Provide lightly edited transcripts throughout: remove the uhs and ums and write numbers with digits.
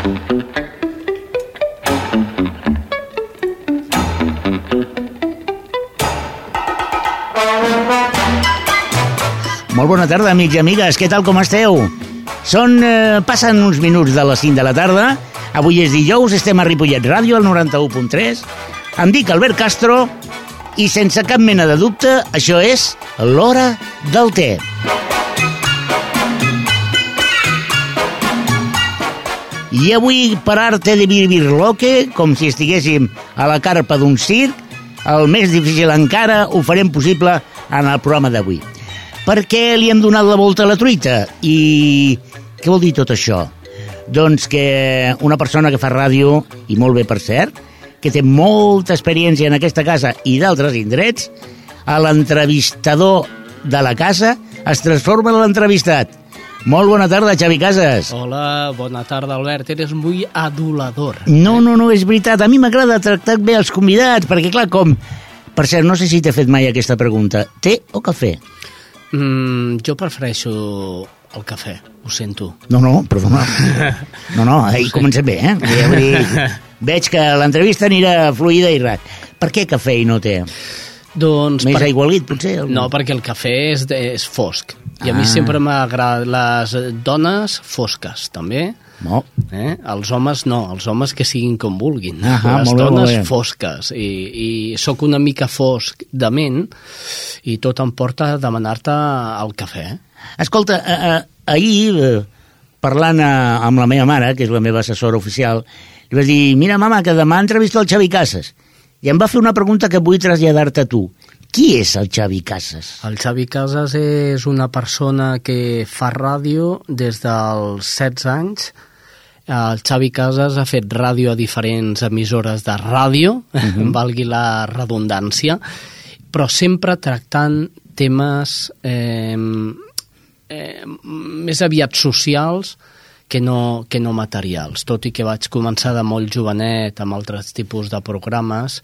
Molt bona tarda, amics i amigues. Què tal, com esteu? Passen uns minuts de les 5 de la tarda. Avui és dijous, estem a Ripollet Ràdio, al 91.3. Em dic Albert Castro i, sense cap mena de dubte, això és l'Hora del Té. I avui, per arte de birloque, com si estiguéssim a la carpa d'un circ, el més difícil encara ho farem possible en el programa d'avui. Per què li hem donat la volta a la truita? I què vol dir tot això? Doncs que una persona que fa ràdio, i molt bé per cert, que té molta experiència en aquesta casa i d'altres indrets, a l'entrevistador de la casa es transforma en l'entrevistat. Molt bona tarda, Xavi Casas. Hola, bona tarda, Albert. Eres muy adulador. No, és veritat. A mi m'agrada tractar bé els convidats, perquè clar, com... Per cert, no sé si t'he fet mai aquesta pregunta. Té o cafè? Jo prefereixo el cafè, ho sento. No, perdona. No, comencem bé, Veig que l'entrevista anirà fluida i rat. Per què cafè i no té? Doncs més aigualit, potser? No, perquè el cafè és fosc. I a mi sempre m'agraden les dones fosques, també. No. Els homes no, els homes que siguin com vulguin. Les dones fosques. I sóc una mica fosc de ment i tot em porta a demanar-te el cafè. Escolta, ahir, parlant amb la meva mare, que és la meva assessora oficial, li vaig dir, mira, mama, que demà entrevisto el Xavi Casas. I em va fer una pregunta que vull traslladar-te a tu. Qui és el Xavi Casas? El Xavi Casas és una persona que fa ràdio des dels 16 anys. El Xavi Casas ha fet ràdio a diferents emissores de ràdio, valgui la redundància, però sempre tractant temes més aviat socials que no materials. Tot i que vaig començar de molt jovenet amb altres tipus de programes,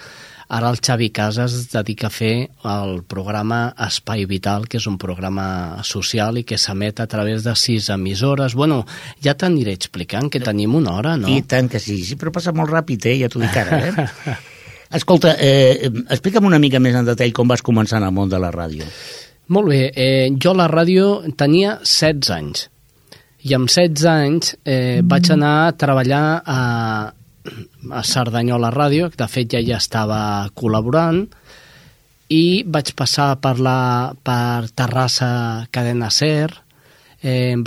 ara el Xavi Casas es dedica a fer el programa Espai Vital, que és un programa social i que s'emet a través de 6 emissores. Bueno, ja t'aniré explicant, que tenim una hora, no? I tant que sí, però passa molt ràpid, ja t'ho dic ara, Escolta, explica'm una mica més en detall com vas començar en el món de la ràdio. Molt bé, jo a la ràdio tenia 16 anys. I amb 16 anys vaig anar a treballar a Cerdanyola Ràdio, que de fet ja estava col·laborant, i vaig passar per Terrassa Cadena Ser,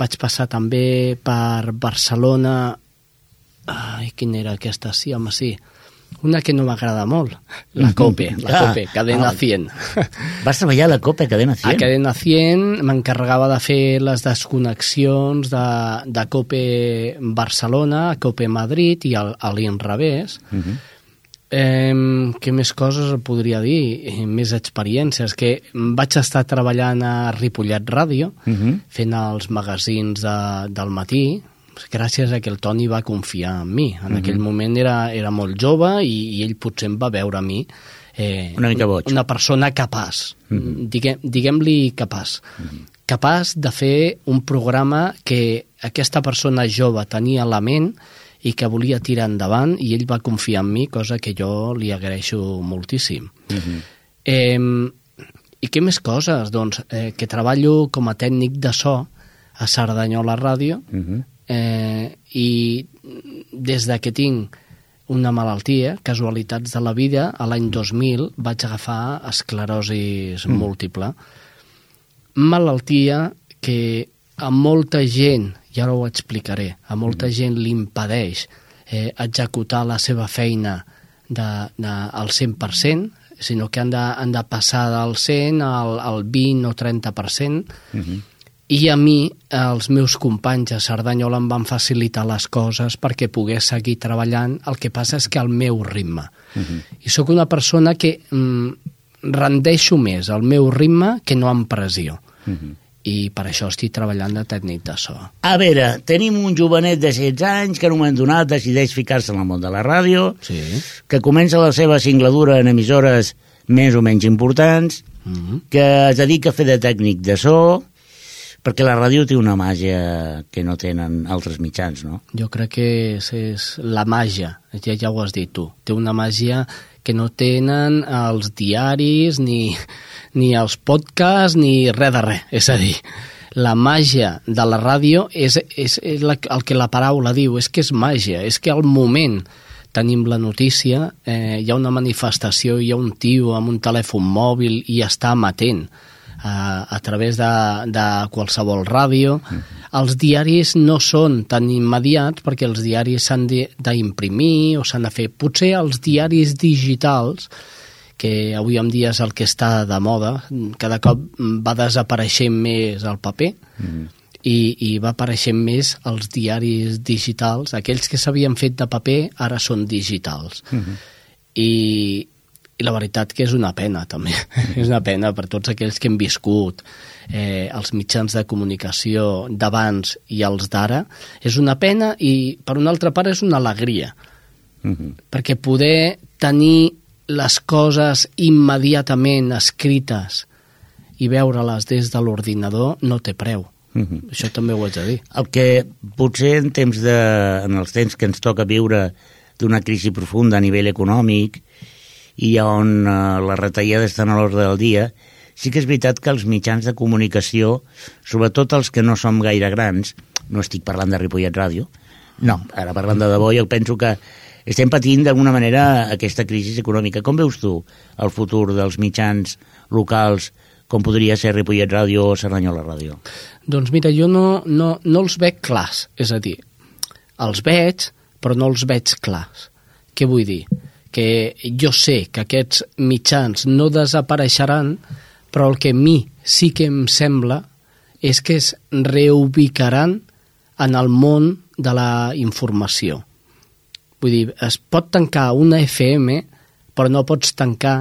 vaig passar també per Barcelona... quina era aquesta? Sí, home, sí. Una que no m'agrada molt, la COPE, Cadena 100. Vas treballar a la COPE, Cadena 100? A Cadena 100 m'encarregava de fer les desconnexions de COPE Barcelona, a COPE Madrid i a l'inrevés. Què més coses podria dir? Més experiències, que vaig estar treballant a Ripollet Ràdio, fent els magazins del matí, gràcies a que el Toni va confiar en mi. En aquell moment era molt jove i ell potser em va veure a mi una mica boig. Una persona capaç, diguem-li capaç. Capaç de fer un programa que aquesta persona jove tenia a la ment i que volia tirar endavant, i ell va confiar en mi, cosa que jo li agraeixo moltíssim. I què més coses? Doncs que treballo com a tècnic de so a Cerdanyola Ràdio, i des que tinc una malaltia, casualitats de la vida, a l'any 2000 vaig agafar esclerosi múltiple. Malaltia que a molta gent, i ara ho explicaré, a molta gent li impedeix executar la seva feina al 100%, sinó que han de passar del 100 al 20 o 30%, i a mi, els meus companys a Cerdanyola em van facilitar les coses perquè pogués seguir treballant. El que passa és que al meu ritme. I sóc una persona que rendeixo més al meu ritme que no amb pressió. I per això estic treballant de tècnic de so. A veure, tenim un jovenet de 16 anys que en un moment donat decideix ficar-se en el món de la ràdio, que comença la seva singladura en emissores més o menys importants, que es dedica a fer de tècnic de so, perquè la ràdio té una màgia que no tenen altres mitjans, no? Jo crec que és la màgia, ja ho has dit tu, té una màgia que no tenen els diaris, ni els podcasts, ni res de res. És a dir, la màgia de la ràdio és el que la paraula diu, és que és màgia, és que al moment tenim la notícia, hi ha una manifestació, hi ha un tio amb un telèfon mòbil i està amatent a través de qualsevol ràdio. Els diaris no són tan immediats perquè els diaris s'han d'imprimir o s'han de fer. Potser els diaris digitals, que avui en dia és el que està de moda, cada cop va desapareixent més el paper i va apareixent més els diaris digitals. Aquells que s'havien fet de paper ara són digitals. I la veritat que és una pena, també. És una pena per tots aquells que hem viscut els mitjans de comunicació d'abans i els d'ara. És una pena i, per una altra part, és una alegria. Perquè poder tenir les coses immediatament escrites i veure-les des de l'ordinador no té preu. Això també ho haig de dir. El que potser en els temps que ens toca viure d'una crisi profunda a nivell econòmic i on les retallades estan a l'ordre del dia, sí que és veritat que els mitjans de comunicació, sobretot els que no som gaire grans, no estic parlant de Ripollet Ràdio, no, ara parlant de debò, jo penso que estem patint d'alguna manera aquesta crisi econòmica. Com veus tu el futur dels mitjans locals, com podria ser Ripollet Ràdio o Cerdanyola Ràdio? Doncs mira, jo no els veig clars, és a dir, els veig, però no els veig clars. Què vull dir? Que jo sé que aquests mitjans no desapareixeran, però el que a mi sí que em sembla és que es reubicaran en el món de la informació. Vull dir, es pot tancar una FM, però no pots tancar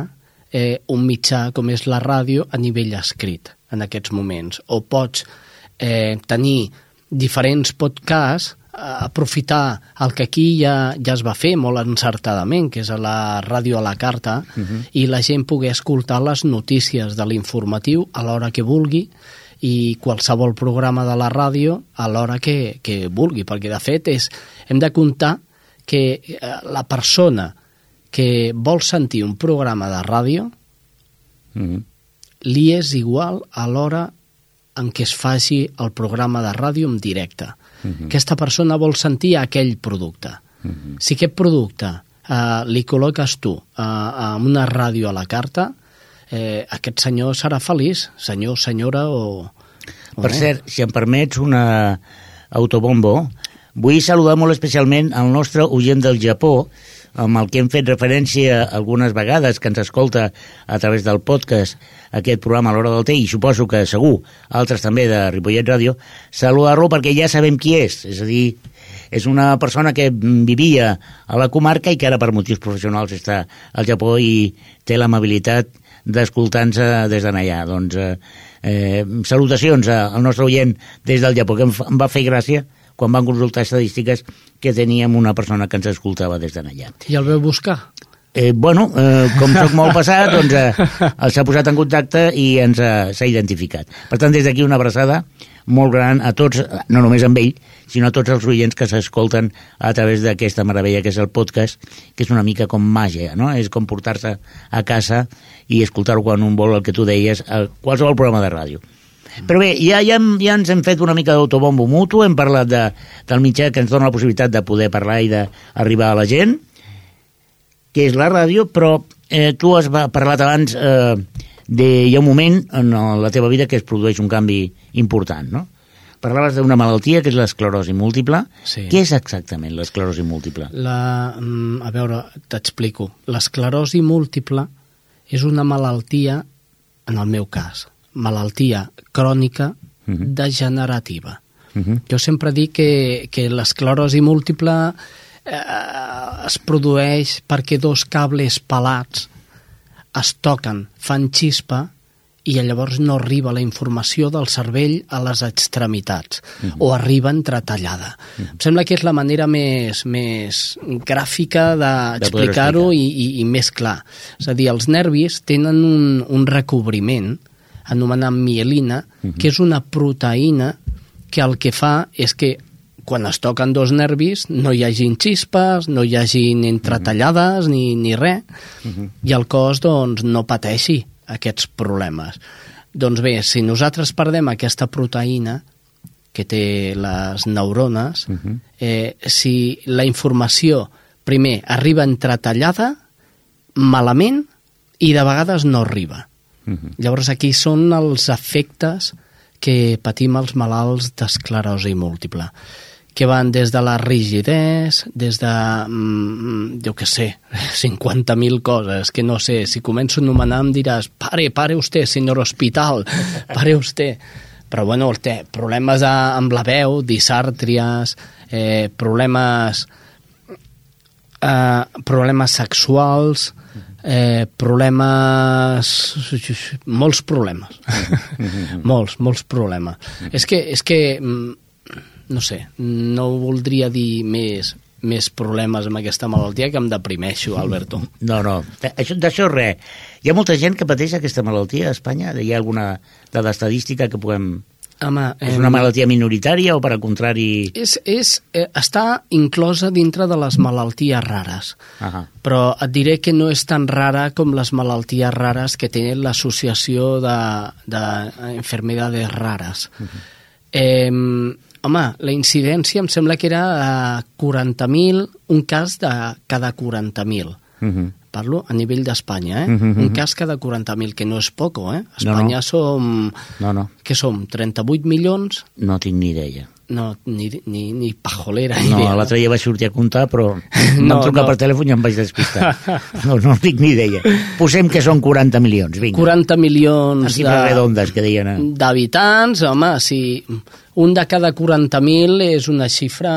un mitjà com és la ràdio a nivell escrit en aquests moments. O pots tenir diferents podcasts, aprofitar el que aquí ja es va fer molt encertadament, que és a la ràdio a la carta, i la gent poder escoltar les notícies de l'informatiu a l'hora que vulgui i qualsevol programa de la ràdio a l'hora que vulgui, perquè de fet hem de comptar que la persona que vol sentir un programa de ràdio li és igual a l'hora en què es faci el programa de ràdio en directe. Aquesta persona vol sentir aquell producte. Si aquest producte li col·loques tu en una ràdio a la carta, aquest senyor serà feliç, senyor, senyora o... Per cert, si em permets una autobombo, vull saludar molt especialment el nostre oient del Japó, amb el que hem fet referència algunes vegades, que ens escolta a través del podcast aquest programa a l'hora del té, i suposo que segur altres també de Ripollet Ràdio, saludar-lo perquè ja sabem qui és a dir, és una persona que vivia a la comarca i que ara per motius professionals està al Japó i té l'amabilitat d'escoltar-nos des d'allà. Doncs salutacions al nostre oient des del Japó, que em va fer gràcia quan van consultar estadístiques que teníem una persona que ens escoltava des d'allà. I el veu buscar? Com soc molt passat, doncs s'ha posat en contacte i s'ha identificat. Per tant, des d'aquí una abraçada molt gran a tots, no només amb ell, sinó a tots els oients que s'escolten a través d'aquesta meravella que és el podcast, que és una mica com màgia, no? És com portar-se a casa i escoltar-ho quan un vol, el que tu deies, a qualsevol programa de ràdio. Però bé, ja ens hem fet una mica d'autobombo mutu, hem parlat del mitjà que ens dona la possibilitat de poder parlar i d'arribar a la gent, que és la ràdio, però tu has parlat abans hi ha un moment en la teva vida que es produeix un canvi important, no? Parlaves d'una malaltia que és l'esclerosi múltiple. Sí. Què és exactament l'esclerosi múltiple? A veure, t'explico. L'esclerosi múltiple és una malaltia, en el meu cas, malaltia crònica degenerativa. Jo sempre dic que l'esclerosi múltiple es produeix perquè dos cables pelats es toquen, fan xispa i llavors no arriba la informació del cervell a les extremitats o arriba entretallada. Em sembla que és la manera més gràfica d'explicar-ho i més clar. És a dir, els nervis tenen un recobriment anomenant mielina, que és una proteïna que el que fa és que quan es toquen dos nervis no hi hagin xispes, no hi hagin entretallades ni res, i el cos doncs, no pateixi aquests problemes. Doncs bé, si nosaltres perdem aquesta proteïna que té les neurones, si la informació primer arriba entretallada, malament, i de vegades no arriba. Llavors aquí són els efectes que patim els malalts d'esclerosi múltiple, que van des de la rigidesa, des de, jo què sé, 50.000 coses, que no sé, si començo a anomenar em diràs, pare usted, senyor hospital, pare usted. Però bueno, té problemes amb la veu, disàrtries, problemes sexuals, molts problemes. molts problemes. És que no sé, no voldria dir més problemes amb aquesta malaltia, que em deprimeixo, Alberto. No, d'això res. Hi ha molta gent que pateix aquesta malaltia a Espanya? Hi ha alguna dada estadística que puguem... Home, és una malaltia minoritària o, per al contrari... Està inclosa dintre de les malalties rares, però et diré que no és tan rara com les malalties rares que tenen l'associació d'enfermedades rares. Home, la incidència em sembla que era 40.000, un cas de cada 40.000. Parlo a nivell d'Espanya, un cas cada 40.000, que no és poco, Espanya som... No. Què som, 38 milions? No tinc ni idea. No, ni pajolera idea. No, l'altre dia vaig sortir a comptar, però vam trucar per telèfon i em vaig despistar. No tinc ni idea. Posem que són 40 milions, vinga. 40 milions en xifres redondes, que deien. D'habitants, home, si un de cada 40.000 és una xifra...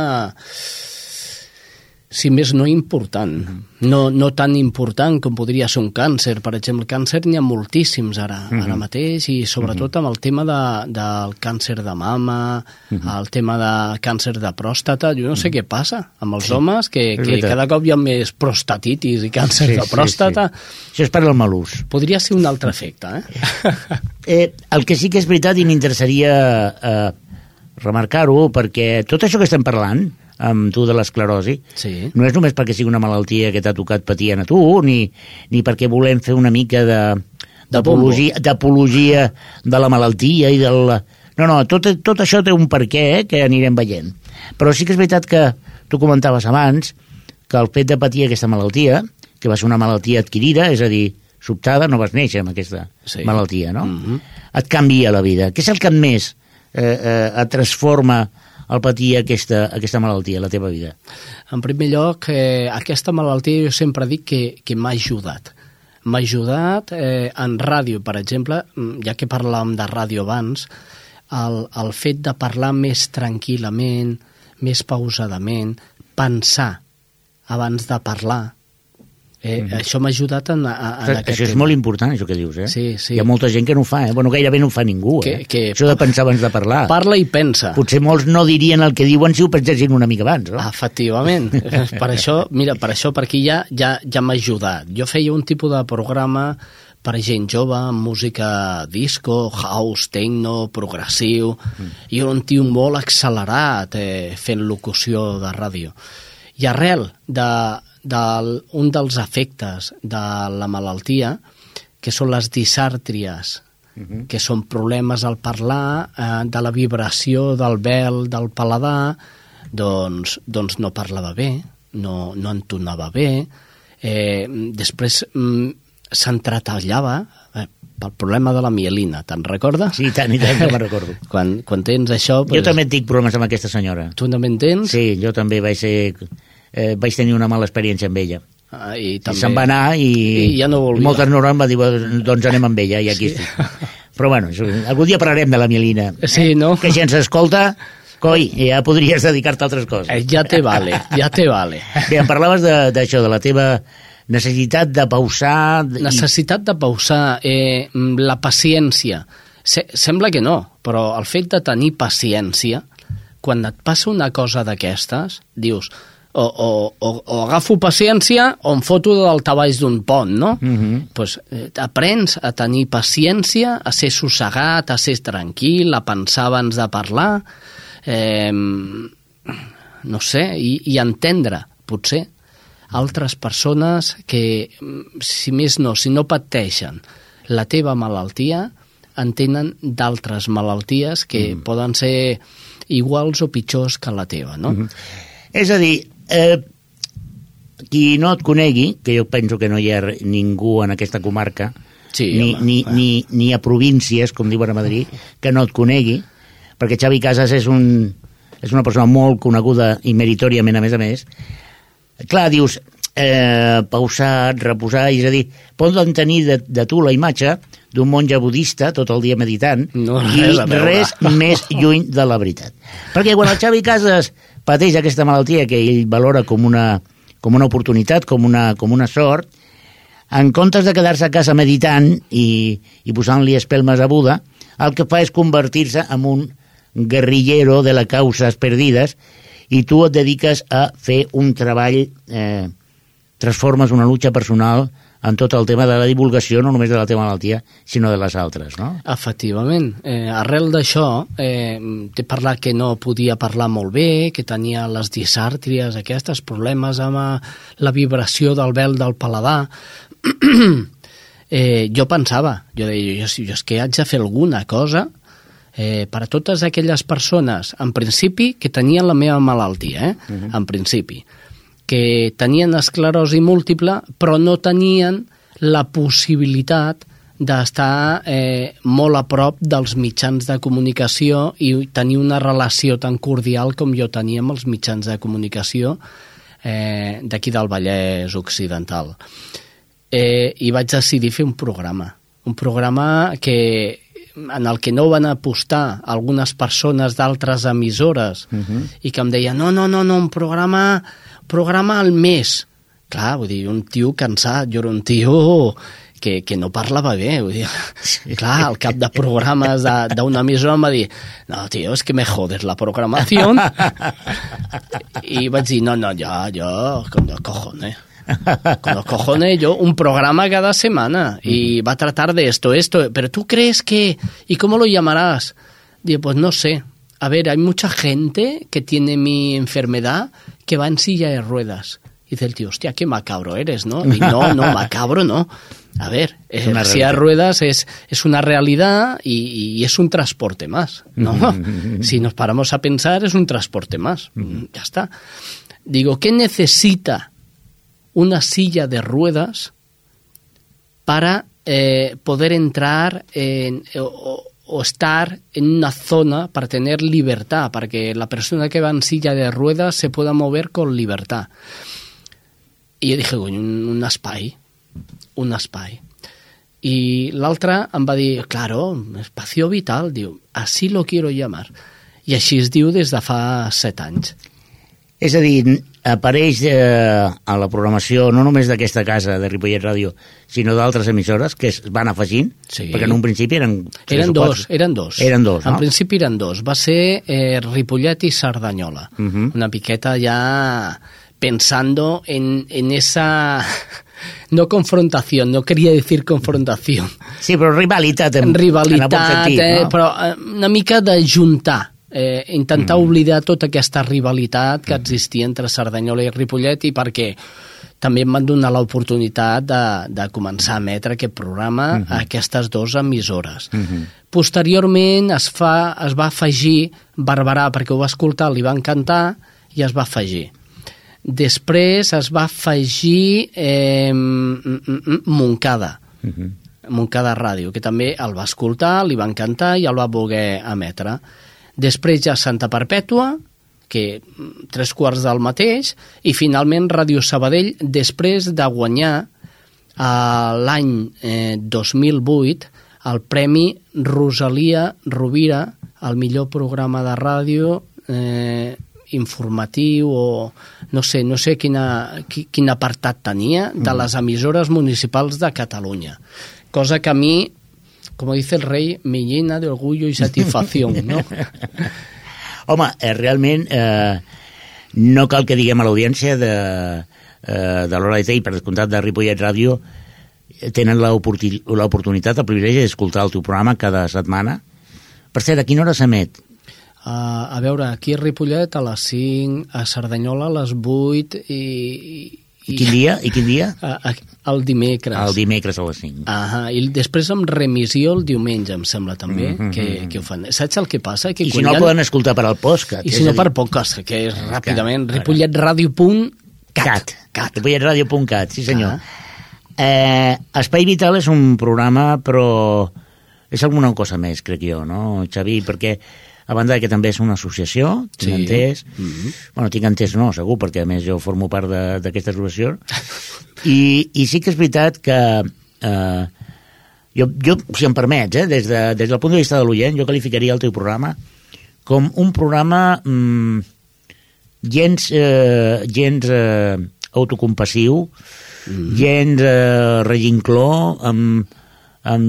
si més no important, no tan important com podria ser un càncer. Per exemple, el càncer n'hi ha moltíssims ara mateix, i sobretot amb el tema del càncer de mama, el tema de càncer de pròstata. Jo no sé què passa amb els homes, que cada cop hi ha més prostatitis i càncer de pròstata. Això és per al mal ús. Podria ser un altre efecte, El que sí que és veritat, i m'interessaria remarcar-ho, perquè tot això que estem parlant amb tu de l'esclerosi, no és només perquè sigui una malaltia que t'ha tocat patir a tu, ni perquè volem fer una mica d'apologia de la malaltia i del... No, tot això té un perquè que anirem veient. Però sí que és veritat que tu comentaves abans que el fet de patir aquesta malaltia, que va ser una malaltia adquirida, és a dir, sobtada, no vas néixer amb aquesta malaltia, no? Et canvia la vida. Què és el que més et transforma al patir aquesta malaltia, la teva vida? En primer lloc, aquesta malaltia jo sempre dic que m'ha ajudat. M'ha ajudat en ràdio, per exemple, ja que parlàvem de ràdio abans, el fet de parlar més tranquil·lament, més pausadament, pensar abans de parlar. Això m'ha ajudat en aquest Això és molt important, això que dius, Sí. Hi ha molta gent que no ho fa, Bueno, gairebé no ho fa ningú, Això de pensar abans de parlar. Parla i pensa. Potser molts no dirien el que diuen si ho pensessin una mica abans, no? Efectivament. Per això, perquè ja m'ha ajudat. Jo feia un tipus de programa per gent jove, amb música disco, house, techno, progressiu, i era un tio molt accelerat fent locució de ràdio. I arrel d'un dels efectes de la malaltia, que són les disàrtries, que són problemes al parlar, de la vibració del vel, del paladar, doncs no parlava bé, no entonava bé, després s'entretallava pel problema de la mielina, te'n recordes? Sí, tant que me'n recordo. Quan tens això... Jo també tinc problemes amb aquesta senyora. Tu també en tens? Sí, jo també vaig tenir una mala experiència amb ella. I se'n va anar i ja no volia. Moltes neurones em va dir, doncs anem amb ella, i aquí estic. Però bueno, algun dia parlarem de la mielina. Sí, no? Que si ens escolta, coi, ja podries dedicar-te a altres coses. Ja te vale. Bé, em parlaves d'això, de la teva necessitat de pausar... Necessitat de pausar, la paciència. Sembla que no, però el fet de tenir paciència, quan et passa una cosa d'aquestes, dius, o agafo paciència o em foto de daltabaix d'un pont, no? Pues, aprens a tenir paciència, a ser sossegat, a ser tranquil, a pensar abans de parlar, no sé, i entendre, potser, altres persones que, si més no, si no pateixen la teva malaltia, entenen d'altres malalties que poden ser iguals o pitjors que la teva, no? És a dir, qui no et conegui, que jo penso que no hi ha ningú en aquesta comarca, Sí, ni a províncies, com diuen a Madrid, que no et conegui, perquè Xavi Casas és una persona molt coneguda i meritòriament, a més. Clar, dius, pausat, reposar, és a dir, poden tenir de tu la imatge d'un monge budista tot el dia meditant i res més lluny de la veritat. Perquè quan el Xavi Casas pateix aquesta malaltia que ell valora com una oportunitat, com una sort, en comptes de quedar-se a casa meditant i posant-li espelmes a Buda, el que fa és convertir-se en un guerrillero de les causes perdides i tu et dediques a fer un treball, transformes una lucha personal en tot el tema de la divulgació, no només de la teva malaltia, sinó de les altres, no? Efectivament. Arrel d'això, t'he parlat que no podia parlar molt bé, que tenia les disàrtries, aquests problemes amb la vibració del vel del paladar. Jo pensava, jo deia, jo és que haig de fer alguna cosa per a totes aquelles persones, en principi, que tenien la meva malaltia, en principi, que tenien esclerosi múltiple, però no tenien la possibilitat d'estar molt a prop dels mitjans de comunicació i tenir una relació tan cordial com jo tenia amb els mitjans de comunicació d'aquí del Vallès Occidental. I vaig decidir fer un programa en el que no van apostar algunes persones d'altres emissores i que em deien, no, un programa al mes. Clar, vull dir, un tio cansat, jo era un tio que no parlava bé, vull dir, clar, al cap de programes d'una emissora em va dir, no, tio, es que me jodes la programación. I vaig dir, no, yo, con los cojones, yo, un programa cada semana, y va a tratar de esto, pero tú crees que, ¿y cómo lo llamarás? Digo, pues no sé. A ver, hay mucha gente que tiene mi enfermedad que va en silla de ruedas. Y dice el tío, hostia, qué macabro eres, ¿no? Y no, macabro no. A ver, la silla de ruedas es una realidad y es un transporte más, ¿no? Si nos paramos a pensar, es un transporte más. Ya está. Digo, ¿qué necesita una silla de ruedas para poder entrar o estar en una zona para tener libertad, para que la persona que va en silla de ruedas se pueda mover con libertad? I jo dije, un espai. I l'altre em va dir, claro, espacio vital, diu, así lo quiero llamar. I així es diu des de fa 7 anys. És a dir, apareix a la programació no només d'aquesta casa de Ripollet Ràdio, sinó d'altres emissores que es van afegint, sí. Perquè en un principi eren dos. Eren dos, no? En principi eren dos. Va ser Ripollet i Cerdanyola. Una piqueta ja pensando en esa... No confrontación, no quería decir confrontación. Sí, però rivalitat. Rivalitat, no? Però una mica de juntar. Intentar oblidar tota aquesta rivalitat que existia entre Cerdanyola i Ripollet, i perquè també em van donar l'oportunitat de començar a emetre aquest programa a aquestes dues emissores. Posteriorment es va afegir Barberà, perquè ho va escoltar, li va encantar i es va afegir. Després es va afegir Montcada Ràdio, que també el va escoltar, li va encantar i el va voler emetre. Després ja Santa Perpètua, que 3/4 del mateix, i finalment Ràdio Sabadell, després de guanyar l'any 2008 el Premi Rosalia Rovira al millor programa de ràdio informatiu, o no sé quin apartat tenia, de les emissores municipals de Catalunya. Cosa que a mi, como dice el rey, me llena de orgullo y satisfacción, ¿no? Home, realment No cal que diguem a l'audiència de l'Hora de Té i per descomptat de Ripollet Ràdio tenen l'oportunitat, el privilegi d'escoltar el teu programa cada setmana. Per cert, a quina hora s'emet? A veure, aquí a Ripollet a les 5, a Cerdanyola a les 8 i quin dia? El dimecres. El dimecres a les 5. I després amb remissió el diumenge, em sembla també, que ho fan. Saps el que passa? Que I si no el poden escoltar per al podcast. I si no per podcast, que és ràpidament ripolletradio.cat. Ripolletradio.cat, sí senyor. Espai Vital és un programa, però és alguna cosa més, crec jo, no, Xavi? Perquè a banda que també és una associació, tinc entès. Bueno, tinc entès no, segur, perquè a més jo formo part d'aquesta associació. I sí que és veritat que jo si em permets, des del punt de vista de l'oient, jo qualificaria el teu programa com un programa gens autocompassiu, gens regincló, amb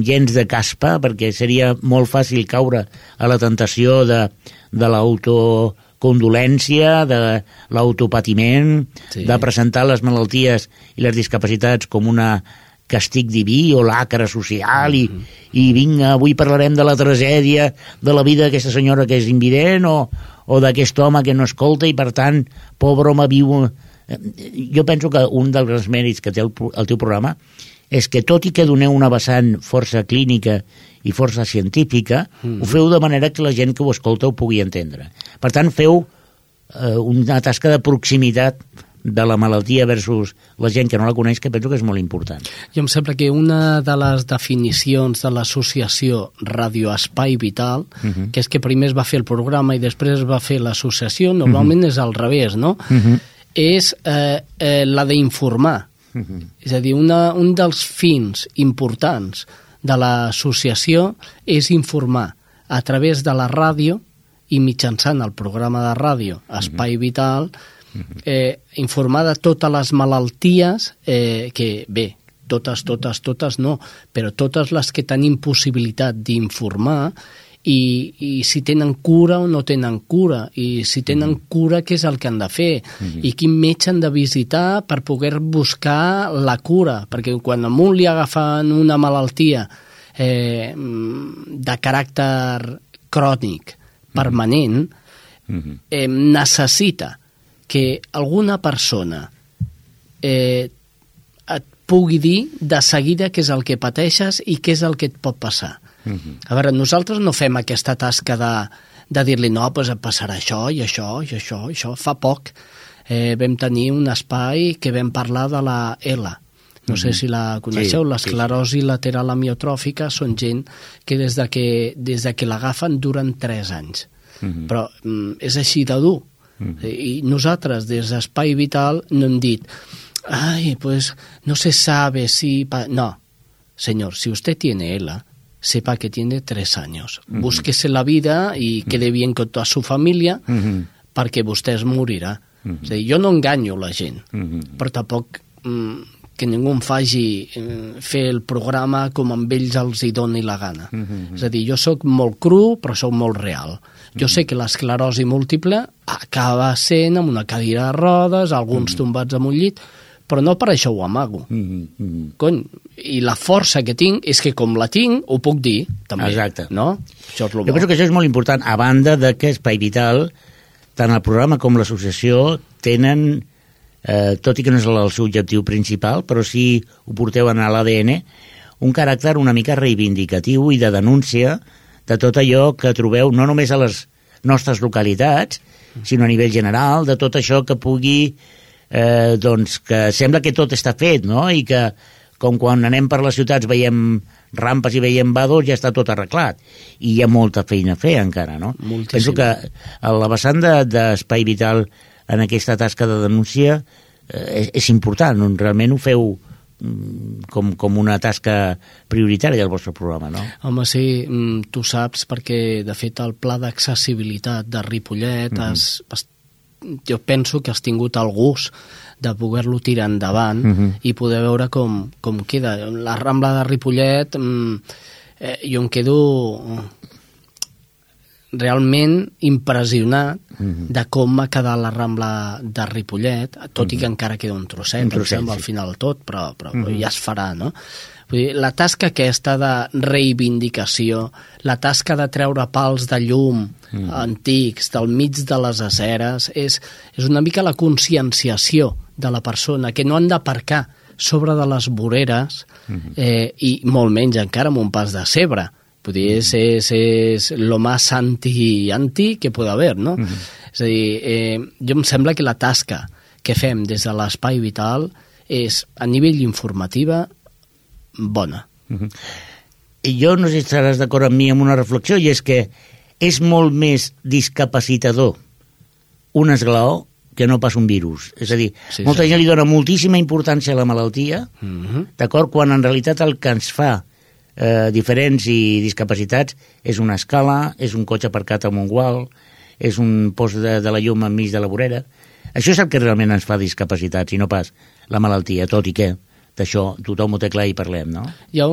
gens de caspa, perquè seria molt fàcil caure a la tentació de l'autocondolència, de l'autopatiment, de presentar les malalties i les discapacitats com una castig diví o lacre social i vinga, avui parlarem de la tragèdia de la vida d'aquesta senyora que és invident o d'aquest home que no escolta i per tant, pobre home viu... Jo penso que un dels mèrits que té el teu programa és que tot i que doneu una vessant força clínica i força científica, ho feu de manera que la gent que ho escolta ho pugui entendre. Per tant, feu una tasca de proximitat de la malaltia versus la gent que no la coneix, que penso que és molt important. I em sembla que una de les definicions de l'associació Radio Espai Vital, que és que primer es va fer el programa i després es va fer l'associació, normalment és al revés, no? És la d'informar. És a dir, un dels fins importants de l'associació és informar a través de la ràdio i mitjançant el programa de ràdio Espai Vital, informar de totes les malalties que, bé, totes no, però totes les que tenim possibilitat d'informar i si tenen cura o no tenen cura, i si tenen cura què és el que han de fer, i quin metge han de visitar per poder buscar la cura, perquè quan a un li agafen una malaltia de caràcter crònic, permanent, necessita que alguna persona et pugui dir de seguida què és el que pateixes i què és el que et pot passar. A veure, nosaltres no fem aquesta tasca de dir-li no, doncs et passarà això i això i això i això. Fa poc vam tenir un espai que vam parlar de la ELA. No sé si la coneixeu, l'esclerosi lateral amiotròfica són gent que des de que l'agafen duren 3 anys. Però és així de dur. I nosaltres des d'Espai Vital no hem dit ay, pues no se sabe si... No, señor, si usted tiene ELA, sepa que tiene 3 años. Búsquese la vida y quede bien con toda su familia perquè vostè es morirà. És a dir, jo no enganyo la gent, però tampoc que ningú em faci fer el programa com amb ells els hi doni la gana. És a dir, jo sóc molt cru, però sóc molt real. Jo sé que l'esclerosi múltiple acaba sent amb una cadira de rodes, alguns tombats amb un llit, però no per això ho amago. Cony, i la força que tinc és que com la tinc, ho puc dir, també. Exacte. No? Això és lo bo. Jo penso que això és molt important, a banda de que Espai Vital, tant el programa com l'associació, tenen, tot i que no és el seu objectiu principal, però sí ho porteu en l'ADN, un caràcter una mica reivindicatiu i de denúncia de tot allò que trobeu no només a les nostres localitats, sinó a nivell general, de tot això que pugui, doncs, que sembla que tot està fet, no? I que, com quan anem per les ciutats veiem rampes i veiem vados, ja està tot arreglat. I hi ha molta feina a fer encara, no? Moltíssim. Penso que a la vessant d'Espai Vital en aquesta tasca de denúncia és important, realment ho feu com una tasca prioritària del vostre programa, no? Home, sí, tu saps, perquè de fet el pla d'accessibilitat de Ripollet jo penso que has tingut el gust de poder-lo tirar endavant i poder veure com queda. La Rambla de Ripollet jo em quedo realment impressionat de com ha quedat la Rambla de Ripollet, tot i que encara queda un trosset, em sembla, al final tot, però ja es farà, no? Vull dir, la tasca aquesta de reivindicació, la tasca de treure pals de llum antics del mig de les aceres, és una mica la conscienciació de la persona, que no han d'aparcar sobre de les voreres i molt menys encara amb un pas de cebre. Vull dir, és lo más anti que puede haver, no? És a dir, jo em sembla que la tasca que fem des de l'Espai Vital és, a nivell informativa, bona. Jo no sé si estaràs d'acord amb mi amb una reflexió, i és que és molt més discapacitador un esglaó que no pas un virus. És a dir, molta gent li dona moltíssima importància a la malaltia, d'acord? Quan en realitat el que ens fa diferents i discapacitats és una escala, és un cotxe aparcat amb un gual, és un post de la llum enmig de la vorera. Això és el que realment ens fa discapacitats i no pas la malaltia, tot i que d'això tothom ho té clar i parlem, no? Hi ha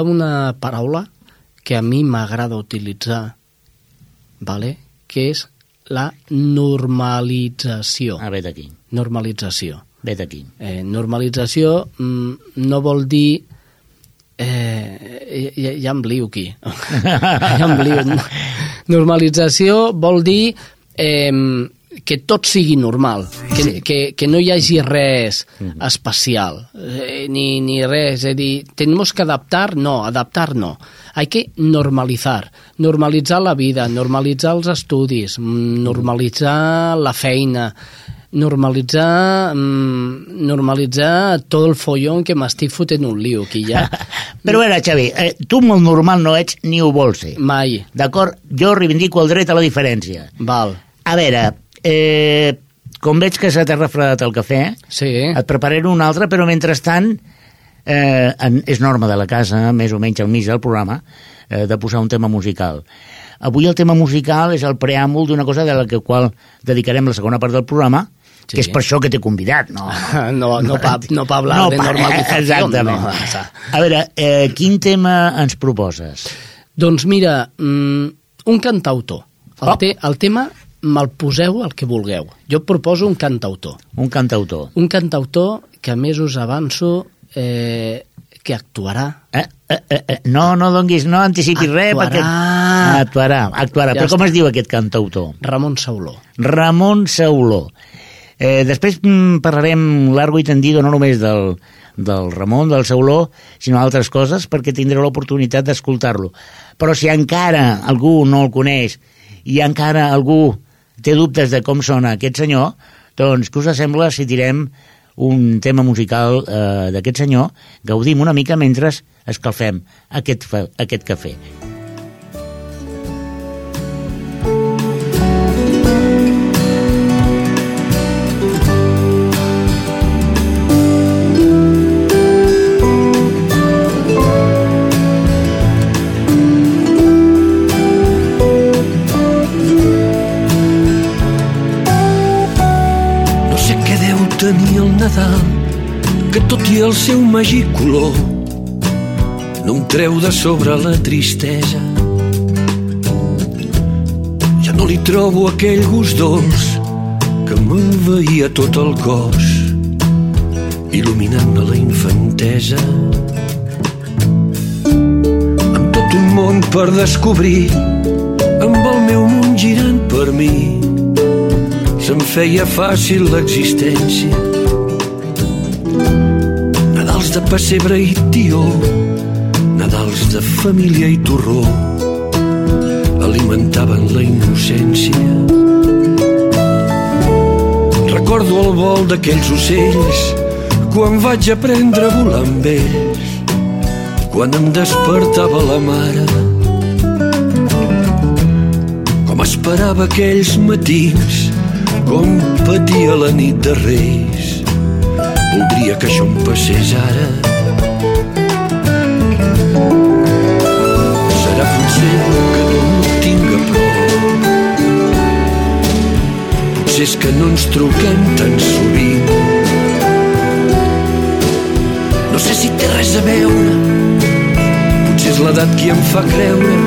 una paraula que a mi m'agrada utilitzar, vale? Que és la normalització. Ve d'aquí. Normalització. Ve d'aquí. Normalització no vol dir... ja em lio aquí. Normalització vol dir que tot sigui normal, que no hi hagi res especial, ni res. És a dir, tenemos que adaptar no. Hay que normalitzar la vida, normalitzar els estudis, normalitzar la feina, normalitzar tot el follon que m'estic fotent un lío aquí ja. Però a veure, Xavi, tu molt normal no ets ni ho vols ser. Mai. D'acord? Jo reivindico el dret a la diferència. Val. A veure, com veig que se t'ha refredat el cafè, et prepararé un altre, però mentrestant és norma de la casa, més o menys al mig del programa, de posar un tema musical. Avui el tema musical és el preàmbul d'una cosa de la qual dedicarem la segona part del programa, que és per això que t'he convidat. No pa hablar de normalització. Exactament. A veure, quin tema ens proposes? Doncs mira, un cantautor. El tema me'l poseu el que vulgueu. Jo proposo un cantautor. Un cantautor. Un cantautor que a més us avanço que actuarà. No donguis, no anticipis res, perquè... Actuarà. Però com es diu aquest cantautor? Ramon Sauló. Ramon Sauló. Després parlarem largo i tendido no només del Ramon, del Sauló, sinó altres coses, perquè tindreu l'oportunitat d'escoltar-lo. Però si encara algú no el coneix i encara algú té dubtes de com sona aquest senyor, doncs què us sembla si tirem un tema musical d'aquest senyor, gaudim una mica mentre escalfem aquest cafè. Tenir el Nadal, que tot i el seu màgic color no em treu de sobre la tristesa. Ja no li trobo aquell gust dolç que m'envaïa tot el cos, il·luminant-me la infantesa. Amb tot un món per descobrir, amb el meu món girant per mi, se'm feia fàcil l'existència. Nadals de pessebre i tió, Nadals de família i torró, alimentaven la innocència. Recordo el vol d'aquells ocells quan vaig aprendre a volar amb ells, quan em despertava la mare, com esperava aquells matins, com patia la nit de Reis. Voldria que això em passés ara. Serà potser que no tinc a prop, potser és que no ens truquem tan sovint. No sé si té res a veure, potser és l'edat qui em fa creure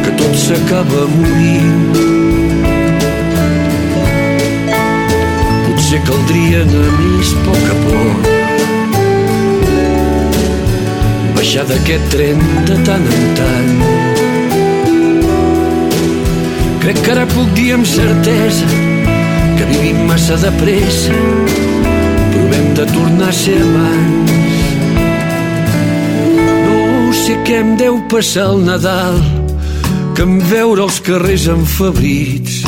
que tot s'acaba morint. Potser caldria anar més a poc a poc, baixar d'aquest tren de tant en tant. Crec que ara puc dir amb certesa que vivim massa de pressa. Provem de tornar a ser amants. No sé què em deu passar al Nadal, que en veure els carrers enfabrits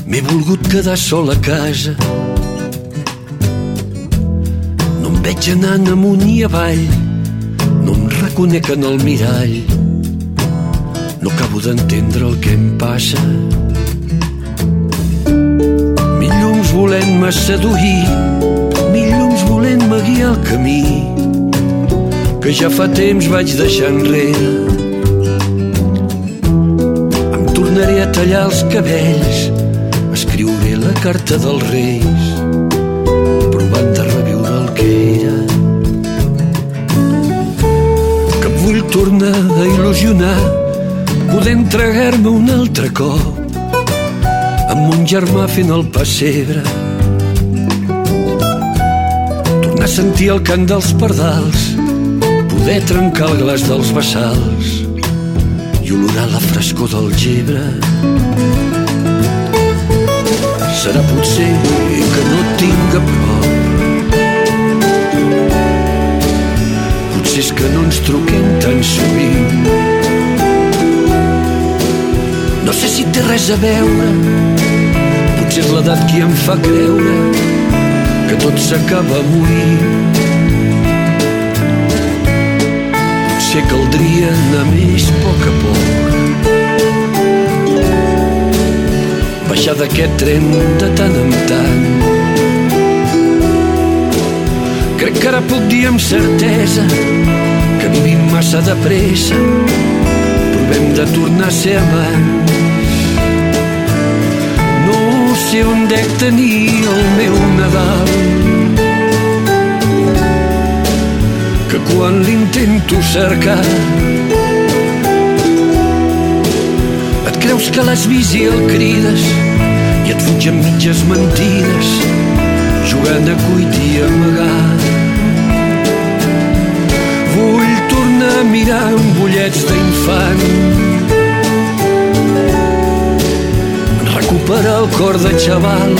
m'he volgut quedar sol a casa. No em veig anant amunt i avall, no em reconec en el mirall, no acabo d'entendre el que em passa. Mil llums volent-me seduir, mil llums volent-me guiar el camí que ja fa temps vaig deixar enrere. Em tornaré a tallar els cabells, escriuré la carta dels Reis, provant de reviure el que era. Que em vull tornar a il·lusionar, poder entregar-me un altre cop amb mon germà fent el pessebre, tornar a sentir el cant dels pardals, poder trencar el glaç dels bassals i olorar la frescor del gebre. Serà potser que no et tinc a prop, potser és que no ens truquem tan sovint. No sé si té res a veure, potser és l'edat qui em fa creure que tot s'acaba morint. Potser caldria anar més a poc, baixar d'aquest tren de tant en tant. Crec que ara puc dir amb certesa que vivim massa de pressa. Provem de tornar a ser amants. No sé on dec tenir el meu Nadal, que quan l'intento cercar et creus que l'has vist i el crides i et fuig amb mitges mentides, jugant a cuit i amagar. Vull tornar a mirar amb ullets d'infant, recuperar el cor de xaval,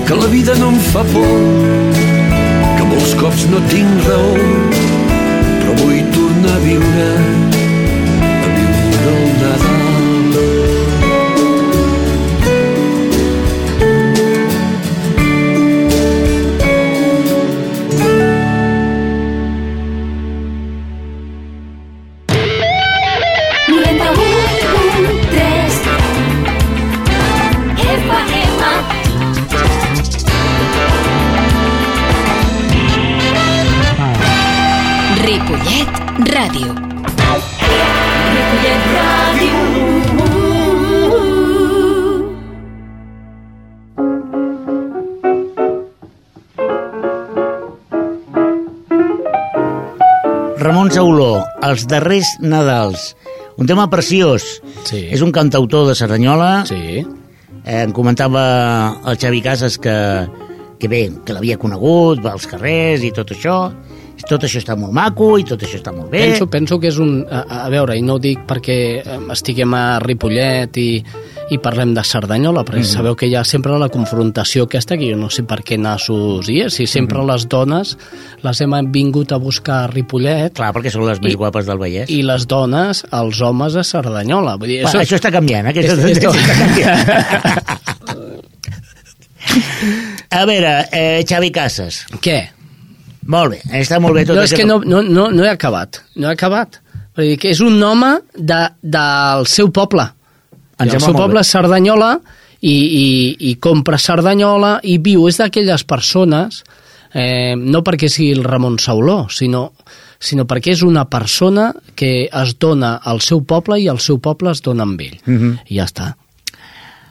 que la vida no em fa por, que molts cops no tinc raó, però vull tornar a viure el Nadal. Ripollet Ràdio. Ripollet Ràdio. Ramon Sauló, Els darrers Nadals. Un tema preciós. Sí. És un cantautor de Cerdanyola. Sí. Em comentava el Xavi Casas que bé, que l'havia conegut als carrers i tot això. Tot això està molt maco i tot això està molt bé. Penso que és un... A veure, i no ho dic perquè estiguem a Ripollet i parlem de Cerdanyola, perquè sabeu que hi ha sempre la confrontació aquesta, que jo no sé per què nassos hi és, si sempre les dones les hem vingut a buscar a Ripollet. Clar, perquè són les més guapes del Vallès. I les dones, els homes a Cerdanyola. Vull dir, això està canviant, aquesta tendència està canviant. A veure, Xavi Casas. Què? Molt bé, està molt bé tot no, això. És que no he acabat. No he acabat. Vull dir que és un home del seu poble. El seu poble és Cerdanyola i compra Cerdanyola i viu. És d'aquelles persones, no perquè sigui el Ramon Sauló, sinó perquè és una persona que es dona al seu poble i el seu poble es dona amb ell. I ja està.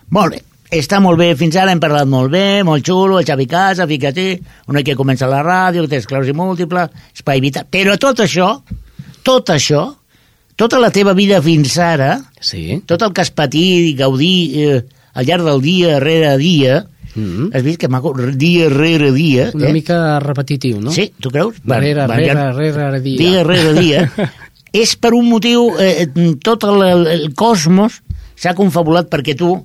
Molt bé. Està molt bé, fins ara hem parlat molt bé, molt xulo, el Xavi Casa, fica-t'hi, una que comença a la ràdio, que té esclerosi múltiple, espai vital, però tot això tota la teva vida fins ara, Sí. tot el que has patit i gaudir al llarg del dia rere dia, has vist que maco, dia rere dia... Una mica repetitiu, no? Sí, tu creus? Rere dia. Dia rere dia. És per un motiu, tot el cosmos s'ha confabulat perquè tu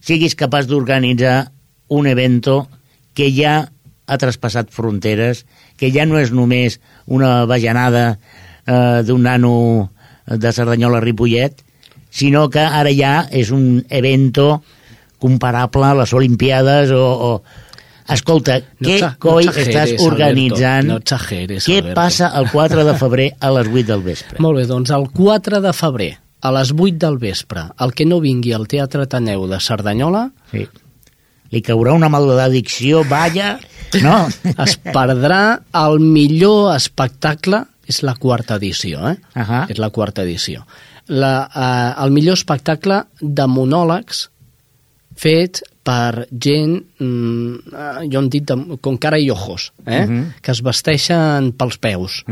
siguis capaç d'organitzar un evento que ja ha traspassat fronteres, que ja no és només una bajanada d'un nano de Cerdanyola a Ripollet, sinó que ara ja és un evento comparable a les Olimpiades o... Escolta, què coi estàs organitzant? No exageres, Què Alberto. passa el 4 de febrer a les 8 del vespre? Molt bé, doncs el 4 de febrer, a les 8 del vespre, el que no vingui al Teatre Ateneu de Cerdanyola Sí. Li caurà una maledicció, vaya, no? es perdrà el millor espectacle, és la quarta edició, És la quarta edició. El millor espectacle de monòlegs fet per gent, jo en dit con cara i ojos, que es vesteixen pels peus.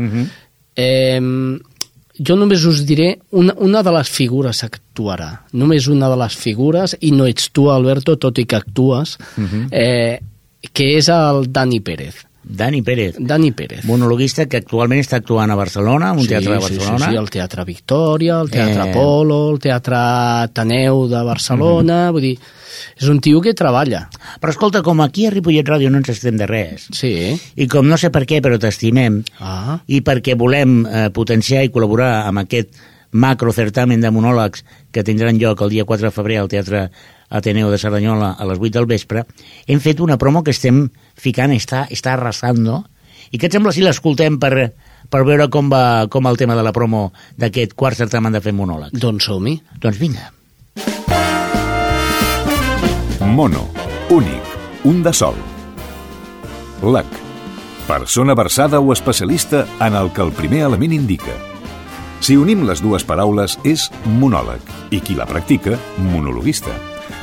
Jo només us diré, una de les figures actuarà, només una de les figures, i no ets tu, Alberto, tot i que actues, que és el Dani Pérez. Dani Pérez. Dani Pérez. Monologuista que actualment està actuant a Barcelona, un teatre de Barcelona. Sí, el Teatre Victòria, el Teatre Apolo, el Teatre Ateneu de Barcelona, vull dir, és un tio que treballa. Però escolta, com aquí a Ripollet Ràdio no ens estem de res, Sí. i com no sé per què, però t'estimem, i perquè volem potenciar i col·laborar amb aquest macrocertamen de monòlegs que tindran lloc el dia 4 de febrer al Teatre Ateneu de Cerdanyola a les 8 del vespre, hem fet una promo que estem ficant, està arrasando, i què et sembla si l'escoltem per veure com va el tema de la promo d'aquest quart certamen de fer monòlegs? Doncs som-hi. Doncs vinga. Mono, únic, un de sol. LAC, persona versada o especialista en el que el primer element indica. Si unim les dues paraules és monòleg i qui la practica, monologuista.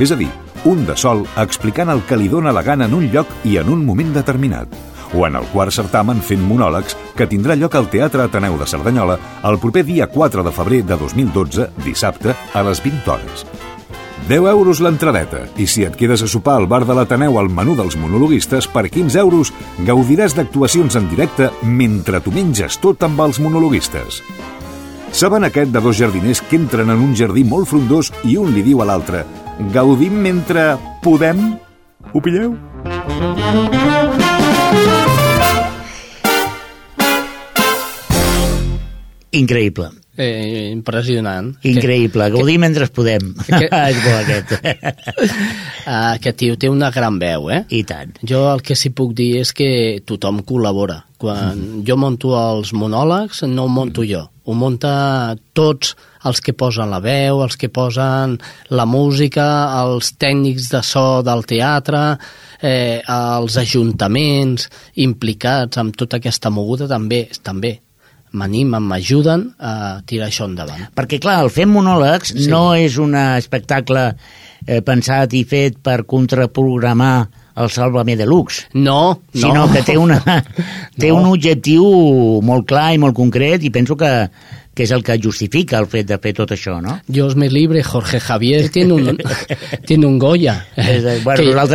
És a dir, un de sol explicant el que li dóna la gana en un lloc i en un moment determinat. O en el quart certamen fent monòlegs que tindrà lloc al Teatre Ateneu de Cerdanyola el proper dia 4 de febrer de 2012, dissabte, a les 20 hores. 10 euros l'entradeta, i si et quedes a sopar al bar de l'Ateneu al menú dels monologuistes, per 15 euros gaudiràs d'actuacions en directe mentre tu menges tot amb els monologuistes. Saben aquest de dos jardiners que entren en un jardí molt frondós i un li diu a l'altre: gaudim mentre podem? Ho pilleu? Increïble. Impressionant. Increïble. Gaudir mentre podem. És bo aquest. Aquest tio té una gran veu, I tant. Jo el que sí puc dir és que tothom col·labora. Quan jo monto els monòlegs, no ho monto jo. Ho munta tots els que posen la veu, els que posen la música, els tècnics de so del teatre, els ajuntaments implicats amb tota aquesta moguda també m'ajuden a tirar això endavant. Perquè, clar, el Fem Monòlegs no és un espectacle pensat i fet per contraprogramar el Sálvame Deluxe. No. Sinó que té un objectiu molt clar i molt concret, i penso que és el que justifica el fet de fer tot això, no? Dios me libre, Jorge Javier tiene un Goya. Bueno,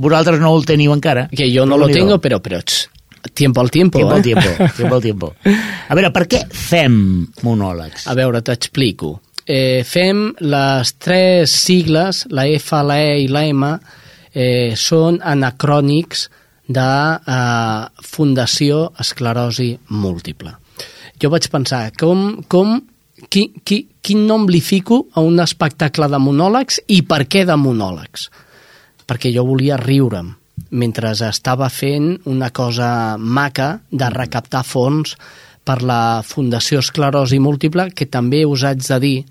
vosaltres no el teniu encara. Que jo no lo tengo, però tiempo al tiempo. Tiempo al tiempo. A veure, per què fem monòlegs? A veure, t'explico. Fem les tres sigles, la F, la E i la M, són anacrònics de Fundació Esclerosi Múltiple. Jo vaig pensar, quin nom li fico a un espectacle de monòlegs i per què de monòlegs? Perquè jo volia riure'm mentre estava fent una cosa maca de recaptar fons per la Fundació Esclerosi Múltiple, que també us haig de dir,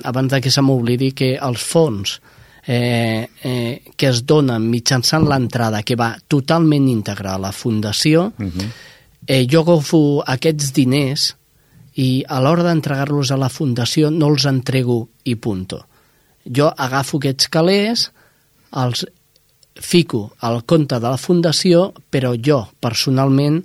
abans que se m'oblidi, que els fons que es donen mitjançant l'entrada, que va totalment íntegra a la Fundació, jo agafo aquests diners i a l'hora d'entregar-los a la Fundació no els entrego i punto. Jo agafo aquests calés, els fico al compte de la Fundació, però jo, personalment,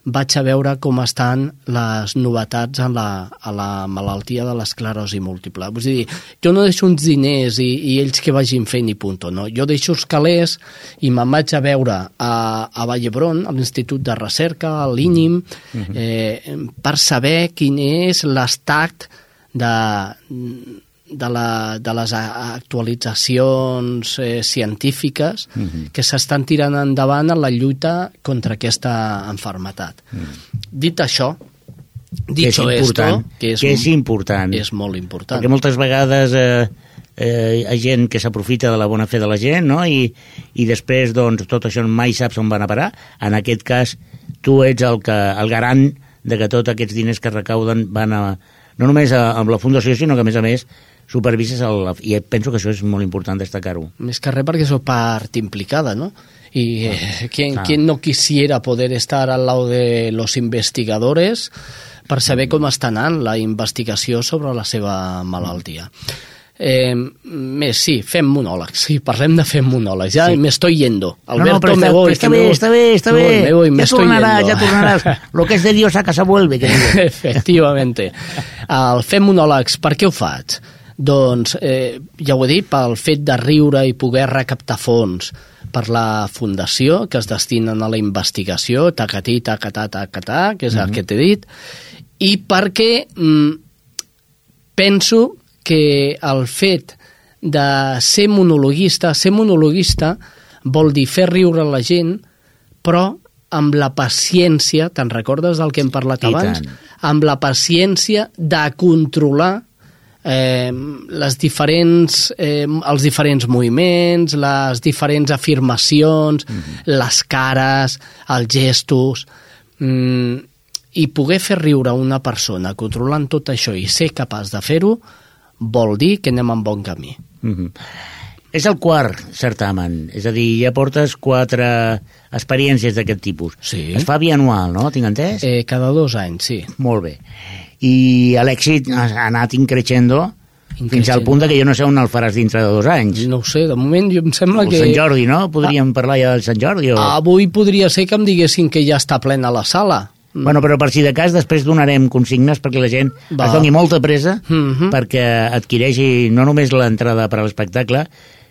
vaig a veure com estan les novetats a la malaltia de l'esclerosi múltiple. Vull dir, jo no deixo uns diners i ells que vagin fent i punto, no? Jo deixo els calés i me'n vaig a veure a Vall d'Hebron, a l'Institut de Recerca, a l'INIM, per saber quin és l'estat de les actualitzacions científiques que s'estan tirant endavant en la lluita contra aquesta malaltia. Dit això, dicho esto, que és important, és molt important. perquè moltes vegades hi ha gent que s'aprofita de la bona fe de la gent, no? I després doncs, tot això mai saps on van a parar. En aquest cas, tu ets el garant de que tots aquests diners que recauden van no només amb la fundació, sinó que a més supervises i penso que això és molt important destacar-ho. Més que res perquè soy part implicada, ¿no? Y ¿quién no quisiera poder estar al lado de los investigadores per saber com està anant la investigació sobre la seva malaltia? Sí, fem monòlegs, sí, parlem de fer monòlegs, ja me estoy yendo. Alberto, me voy. Está bé. Ya tornarás. Lo que es de Dios a casa vuelve. Efectivamente. El fer monòlegs, per què ho faig? Doncs, ja ho he dit, pel fet de riure i poder recaptar fons per la fundació que es destinen a la investigació, tacatí, tacatà, que és el que t'he dit, i perquè penso que el fet de ser monologuista vol dir fer riure la gent, però amb la paciència, te'n recordes del que hem parlat abans? Amb la paciència de controlar els diferents moviments, les diferents afirmacions, les cares, els gestos, i poder fer riure una persona controlant tot això i ser capaç de fer-ho vol dir que anem en bon camí. És el quart certamen, és a dir, ja portes 4 experiències d'aquest tipus. Sí. Es fa bianual, no? Tinc entès? Cada 2 anys, sí. Molt bé. I l'èxit ha anat increixendo fins al punt que jo no sé on el faràs dintre de 2 anys. No ho sé, de moment em sembla que... Sant Jordi, no? Podríem parlar ja del Sant Jordi? Avui podria ser que em diguessin que ja està plena la sala. Bueno, però per si de cas després donarem consignes perquè la gent es doni molta presa perquè adquireixi no només l'entrada per a l'espectacle,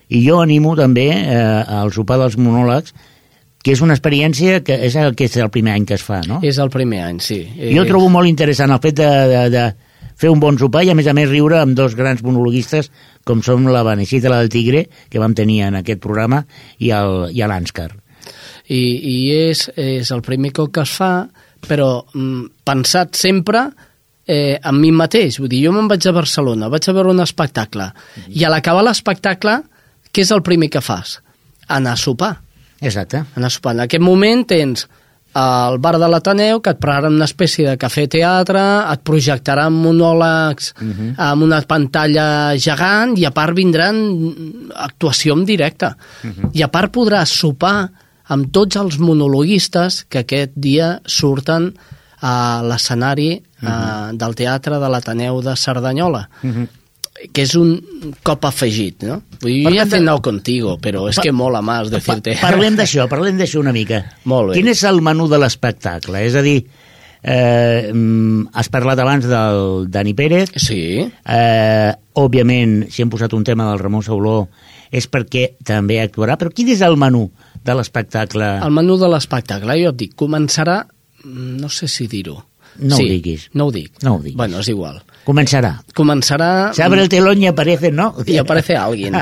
i jo animo també al sopar dels monòlegs, que és una experiència que és el primer any que es fa, no? És el primer any, sí. Jo trobo molt interessant el fet de fer un bon sopar i a més riure amb 2 grans monologuistes com som la Beneixida la del Tigre, que vam tenir en aquest programa, i l'Ànscar. I és el primer cop que es fa, però pensat sempre en mi mateix. Vull dir, jo me'n vaig a Barcelona, vaig a veure un espectacle, i a l'acabar l'espectacle, què és el primer que fas? Anar a sopar. Exacte. Anar a sopar. En aquest moment tens al bar de l'Ateneu, que et pararan una espècie de cafè-teatre, et projectaran monòlegs amb una pantalla gegant, i a part vindran actuació en directe. I a part podràs sopar amb tots els monologuistes que aquest dia surten a l'escenari del Teatre de l'Ateneu de Cerdanyola. Que és un cop afegit, no? Jo ja he anat contigo, però és que mola més decirte. Parlem d'això una mica. Molt bé. Quin és el menú de l'espectacle? És a dir, has parlat abans del Dani Pérez. Sí. Òbviament, si hem posat un tema del Ramon Sauló, és perquè també actuarà, però quin és el menú de l'espectacle? El menú de l'espectacle, jo et dic, començarà, no sé si dir-ho. No ho diguis. No ho dic. No ho diguis. Bueno, és igual. Començará. Se abre el telón y aparece, ¿no? Y aparece alguien.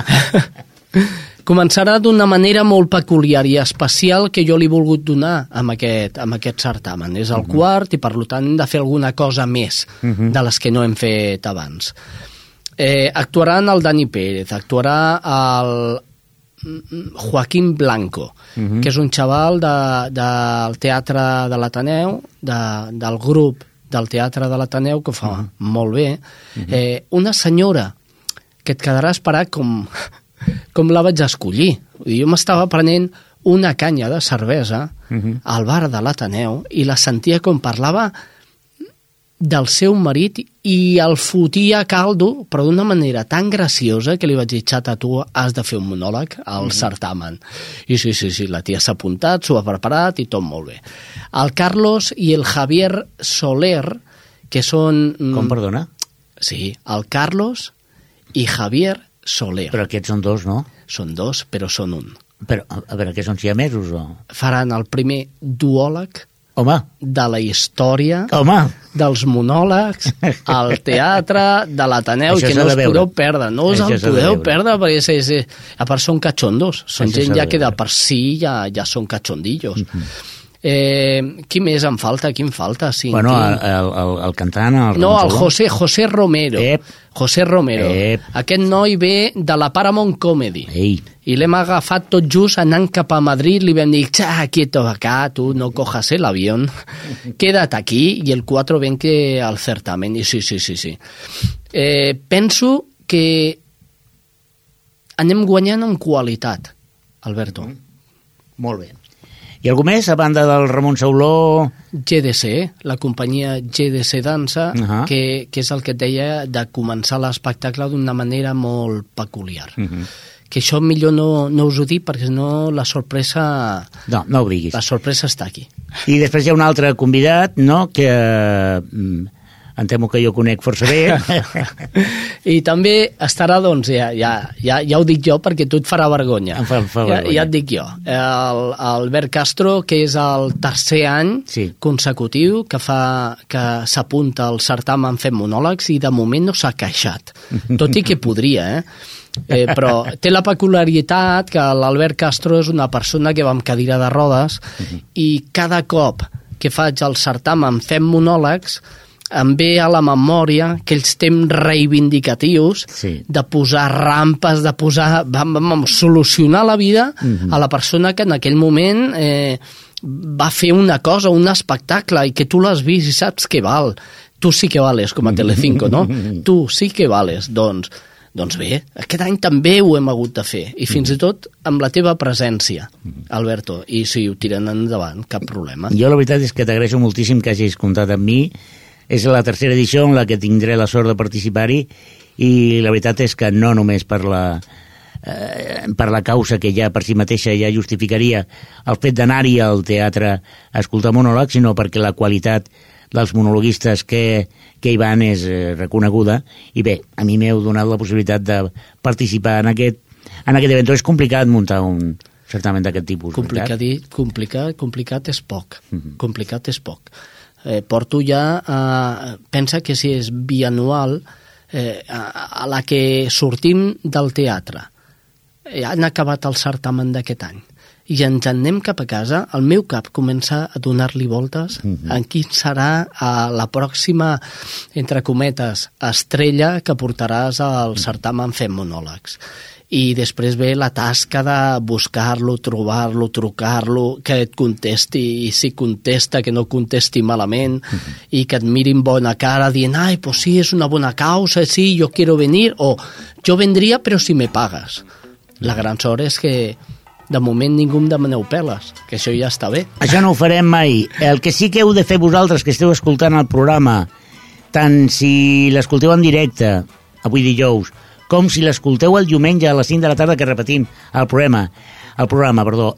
Començarà d'una manera molt peculiar i especial que jo li he volgut donar amb aquest certamen. És el quart i, per tant, hem de fer alguna cosa més de les que no hem fet abans. Actuaran el Dani Pérez, actuarà el Joaquín Blanco, que és un xaval del Teatre de l'Ateneu, del grup del Teatre de l'Ateneu, que ho fa molt bé. Una senyora que et quedarà esperat com la vaig escollir. Jo m'estava prenent una canya de cervesa al bar de l'Ateneu i la sentia com parlava del seu marit i el fotia a caldo, però d'una manera tan graciosa que li vaig dir, xata, tu has de fer un monòleg al certamen. I sí, la tia s'ha apuntat, s'ho ha preparat i tot molt bé. El Carlos i el Javier Soler, que són... Com, perdona? Sí, el Carlos i Javier Soler. Però aquests són dos, no? Són dos, però són un. Però, a veure, què són siamesos o...? Faran el primer duòleg Home. De la història, Home. Dels monòlegs, al teatre, de l'Ateneu, que no us podeu perdre, no us el podeu perdre, perquè a part són cachondos, són gent ja que de per si ja són cachondillos. Qui més em falta? Qui em falta? Sí, bueno, el cantant... No, el José Romero. José Romero. Aquest noi ve de la Paramount Comedy. Ei. I l'hem agafat tot just anant cap a Madrid, li vam dir, quieto acá, tu no cojas el avión, quédate aquí, i el 4 ven que al certamen. I sí. Penso que anem guanyant en qualitat, Alberto. Molt bé. I algú més, a banda del Ramon Sauló? GDC, la companyia GDC Dansa, que és el que et deia de començar l'espectacle d'una manera molt peculiar. Que això millor no us ho dic, perquè no la sorpresa... No obliguis. La sorpresa està aquí. I després hi ha un altre convidat, no?, que em temo que jo conec força bé. I també estarà, doncs, ja ho dic jo, perquè tu et farà vergonya. Em fa vergonya. Ja et dic jo. Albert Castro, que és el tercer any consecutiu que s'apunta al certamen fent monòlegs i de moment no s'ha queixat. Tot i que podria, però té la peculiaritat que l'Albert Castro és una persona que va amb cadira de rodes i cada cop que faig el certamen fent monòlegs em ve a la memòria aquells temps reivindicatius de posar rampes, de posar... solucionar la vida a la persona que en aquell moment va fer una cosa, un espectacle, i que tu l'has vist i saps que val. Tu sí que vales, com a Telecinco, no? Tu sí que vales. Doncs bé, aquest any també ho hem hagut de fer, i fins i tot amb la teva presència, Alberto, i si ho tiren endavant, cap problema. Jo la veritat és que t'agraeixo moltíssim que hagis comptat amb mi. És la tercera edició en la que tindré la sort de participar-hi, i la veritat és que no només per la causa que ja per si mateixa ja justificaria el fet d'anar-hi al teatre a escoltar monòlegs, sinó perquè la qualitat dels monologuistes que hi van és reconeguda, i bé, a mi m'heu donat la possibilitat de participar en aquest event. És complicat muntar un certament d'aquest tipus. Complicat és poc. Complicat és poc. Porto ja, pensa que si és bianual, a la que sortim del teatre, han acabat el certamen d'aquest any, i ens en anem cap a casa, el meu cap comença a donar-li voltes en quin serà la pròxima, entre cometes, estrella que portaràs al certamen fent monòlegs. I després ve la tasca de buscar-lo, trobar-lo, trucar-lo, que et contesti, i si contesta, que no contesti malament, i que et mirin bona cara dient, ai, pues sí, és una bona causa, sí, yo quiero venir, o jo vendria però si me pagues. La gran sort és que de moment ningú em demaneu peles, que això ja està bé. Això no ho farem mai. El que sí que heu de fer vosaltres, que esteu escoltant el programa, tant si l'escolteu en directe, avui dijous, com si l'escolteu el diumenge a les 5 de la tarda que repetim el programa.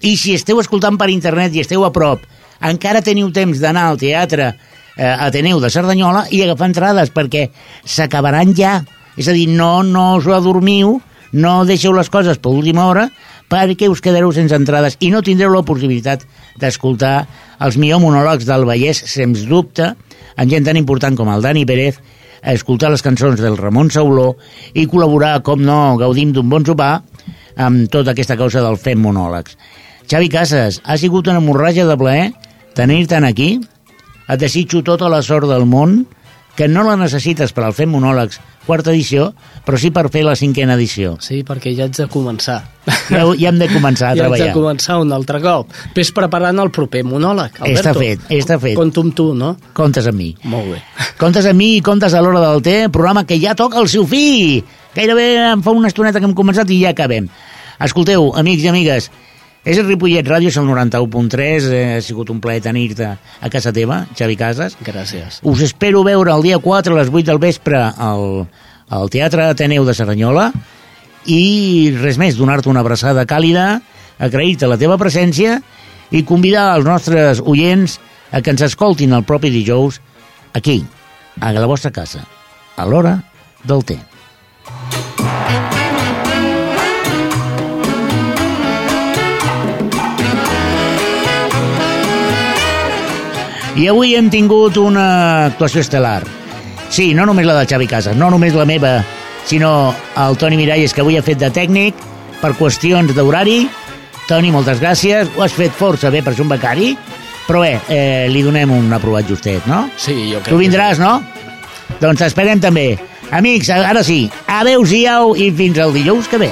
I si esteu escoltant per internet i esteu a prop, encara teniu temps d'anar al teatre Ateneu de Cerdanyola i agafar entrades, perquè s'acabaran ja. És a dir, no us adormiu, no deixeu les coses per última hora, perquè us quedareu sense entrades i no tindreu la possibilitat d'escoltar els millors monòlegs del Vallès, sens dubte, amb gent tan important com el Dani Pérez, a escoltar les cançons del Ramon Sauló i col·laborar, com no, gaudim d'un bon sopar amb tota aquesta causa del fem monòlegs. Xavi Casas, ha sigut una hemorràgia de plaer tenir-te'n aquí. Et desitjo tota la sort del món, que no la necessites per al fem monòlegs quarta edició, però sí per fer la 5a edició. Sí, perquè ja haig de començar. Ja hem de començar a treballar. Ja haig de començar un altre cop. Ves preparant el proper monòleg, Alberto. Està fet. Compto amb tu, no? Comptes amb mi. Molt bé. Comptes amb mi i comptes a l'hora del té, programa que ja toca el seu fi. Gairebé em fa una estoneta que hem començat i ja acabem. Escolteu, amics i amigues, És el Ripollet Ràdio, és el 91.3, ha sigut un plaer tenir-te a casa teva, Xavi Casas. Gràcies. Us espero veure el dia 4 a les 8 del vespre al Teatre Ateneu de Cerdanyola i res més, donar-te una abraçada càlida, agrair-te la teva presència i convidar els nostres oients a que ens escoltin el propi dijous aquí, a la vostra casa, a l'hora del té. I avui hem tingut una actuació estel·lar. Sí, no només la del Xavi Casas, no només la meva, sinó el Toni Miralles, que avui ha fet de tècnic per qüestions d'horari. Toni, moltes gràcies. Ho has fet força bé per ser un becari, però bé, li donem un aprovat justet, no? Sí, jo crec. Tu vindràs, no? Doncs t'esperem també. Amics, ara sí, adeu-siau i fins el dijous que ve.